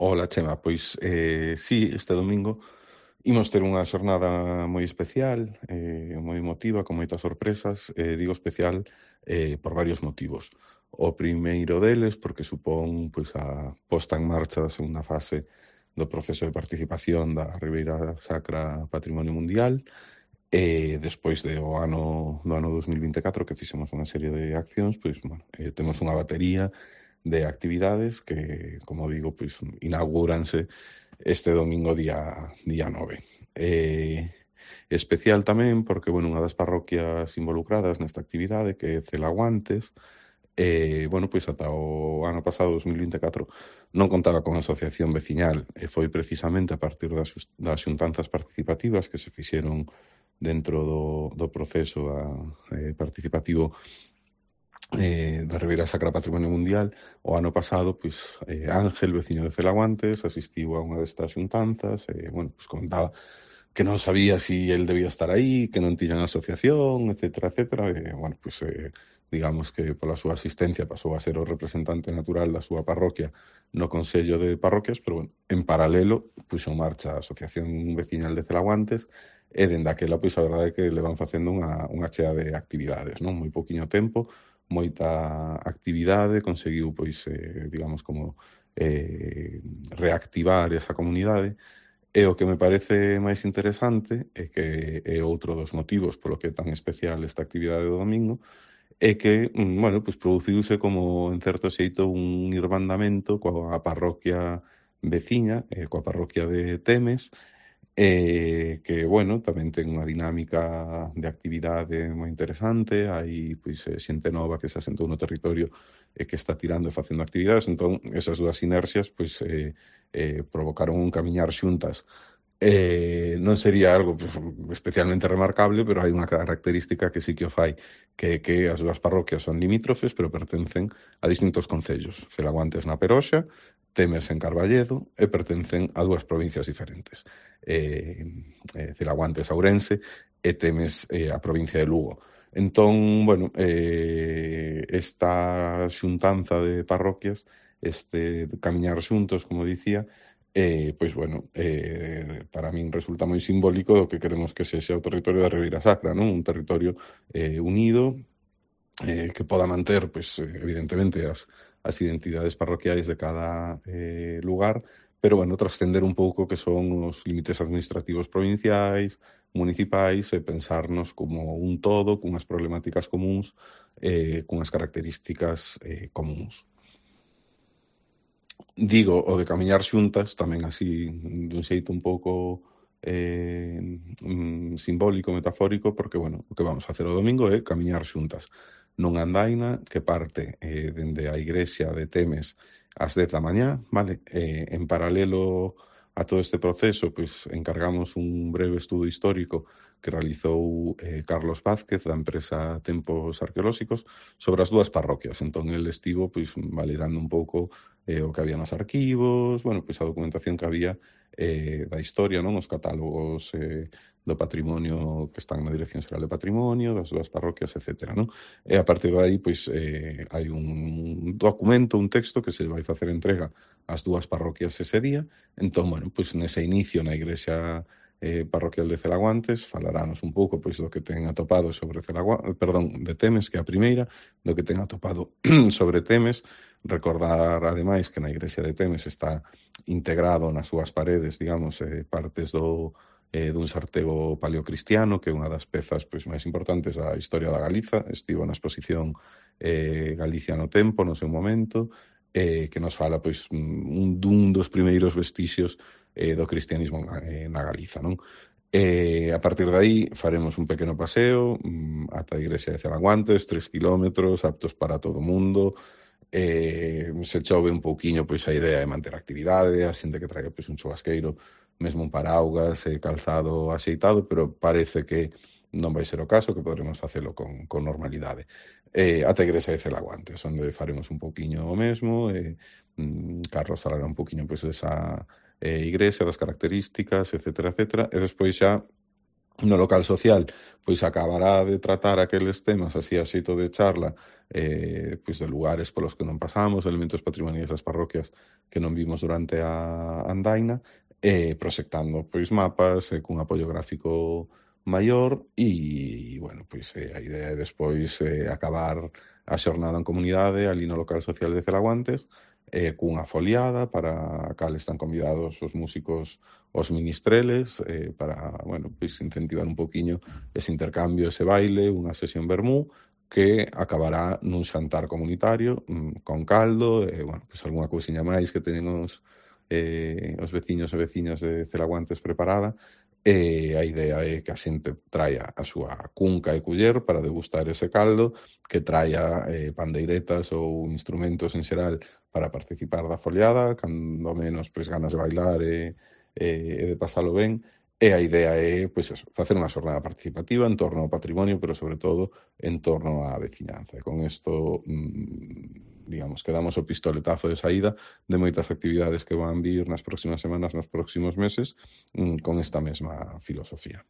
Ola, Chema, pois sí, este domingo imos ter unha xornada moi especial, moi emotiva, con moitas sorpresas. Digo especial por varios motivos. O primeiro deles, porque supón pois a posta en marcha da segunda fase do proceso de participación da Ribeira Sacra Patrimonio Mundial, despois do ano 2024 que fixemos unha serie de accións, pois, bueno, temos unha batería de actividades que, como digo, pois inauguranse este domingo día 9. Especial tamén porque, bueno, unha das parroquias involucradas nesta actividade, que é Celaguantes, bueno, pois ata o ano pasado, 2024, non contaba con asociación veciñal, e foi precisamente a partir das xuntanzas participativas que se fixeron dentro do proceso participativo da Ribeira Sacra Patrimonio Mundial. O ano pasado, pois, Ángel, veciño de Celaguantes, asistiu a unha destas xuntanzas e, bueno, pois comentaba que non sabía si el debía estar aí, que non tiñan asociación, etcétera, etcétera. E, bueno, pois, digamos que pola súa asistencia pasou a ser o representante natural da súa parroquia no Consello de Parroquias, pero, bueno, en paralelo, puxo en marcha a Asociación Veciñal de Celaguantes e, dende aquela, pois, a verdade é que le van facendo unha chea de actividades, non? Moi pouquiño tempo, moita actividade, conseguiu, pois, digamos, como reactivar esa comunidade. E o que me parece máis interesante é que é outro dos motivos polo que é tan especial esta actividade do domingo, é que, bueno, pois produciuse como, en certo xeito, un irmandamento coa parroquia veciña, coa parroquia de Temes, que, bueno, tamén ten unha dinámica de actividade moi interesante. Hai, pois, xente nova que se asentou no territorio e que está tirando e facendo actividades. Entón, esas dúas sinerxias, pois, provocaron un camiñar xuntas. Non sería algo, pues, especialmente remarcable, pero hai unha característica que sí que o fai, que é que as dúas parroquias son limítrofes, pero pertencen a distintos concellos. Celaguantes na Peroxa, Temes en Carballedo, e pertencen a dúas provincias diferentes. Celaguantes a Ourense e Temes a provincia de Lugo. Entón, bueno, esta xuntanza de parroquias, este camiñar xuntos, como dicía, pois, bueno, para min resulta moi simbólico do que queremos que sexa o territorio da Ribeira Sacra, non? Un territorio unido, que poda manter, pois, evidentemente, as identidades parroquiais de cada lugar, pero, bueno, trascender un pouco que son os límites administrativos provinciais, municipais, e pensarnos como un todo, cunhas problemáticas comúns, cunhas características comúns. Digo, o de camiñar xuntas, tamén así, dun xeito un pouco simbólico, metafórico, porque, bueno, o que vamos facer o domingo é camiñar xuntas nunha andaina que parte dende a igrexa de Temes ás 10 da mañá, vale? En paralelo a todo este proceso, pois encargamos un breve estudo histórico que realizou Carlos Vázquez, da empresa Tempos Arqueolóxicos, sobre as dúas parroquias. Entón, el estivo, pois, validando un pouco o que había nos arquivos, bueno, pois a documentación que había da historia, non? Os catálogos do patrimonio que están na Dirección Xeral de Patrimonio, das dúas parroquias, etcétera, non? E a partir de aí, pois, hai un documento, un texto que se vai facer entrega ás dúas parroquias ese día. Entón, bueno, pois nese inicio na igrexa parroquial de Celaguantes falarános un pouco, pois, do que ten atopado sobre de Temes, que é a primeira, do que ten atopado sobre Temes. Recordar, ademais, que na igrexa de Temes está integrado nas súas paredes, digamos, partes dun sartego paleocristiano, que é unha das pezas, pois, máis importantes da historia da Galiza. Estivo na exposición Galicia no Tempo, no seu momento, que nos fala, pois, dun dos primeiros vestixios do cristianismo na Galiza, non? A partir de aí faremos un pequeno paseo ata a igrexa de Celaguantes, 3 kilómetros, aptos para todo o mundo. Se chove un pouquiño, pois a idea é manter a actividade, a xente que traiga, pois, un chubasqueiro, mesmo un paraugas, calzado axeitado, pero parece que non vai ser o caso, que poderemos facelo con normalidade. Ata a igrexa de Celaguantes, onde faremos un pouquiño o mesmo. Carlos falará un pouquiño, pois, desa igrexa, das características, etcétera, etcétera, e despois xa No local social, pois acabará de tratar aqueles temas así a xeito de charla, pois de lugares polos que non pasamos, elementos patrimoniais das parroquias que non vimos durante a andaina, proxectando pois mapas, cun apoio gráfico maior bueno, pois a idea é despois acabar a xornada en comunidade ali no local social de Celaguantes, cunha foliada para a cal están convidados os músicos os ministreles, para, bueno, pois incentivar un poquiño ese intercambio, ese baile, unha sesión vermú, que acabará nun xantar comunitario, con caldo, bueno, pois algunha cousiña máis que teñen os veciños e veciñas de Celaguantes preparada, e a idea é que a xente traia a súa cunca e culler para degustar ese caldo, que traia pandeiretas ou instrumentos en xeral para participar da foliada, cando menos pois ganas de bailar e de pasalo ben, e a idea é pois eso, facer unha xornada participativa en torno ao patrimonio, pero sobre todo en torno á veciñanza. E con isto, digamos, que damos o pistoletazo de saída de moitas actividades que van vir nas próximas semanas, nos próximos meses, con esta mesma filosofía.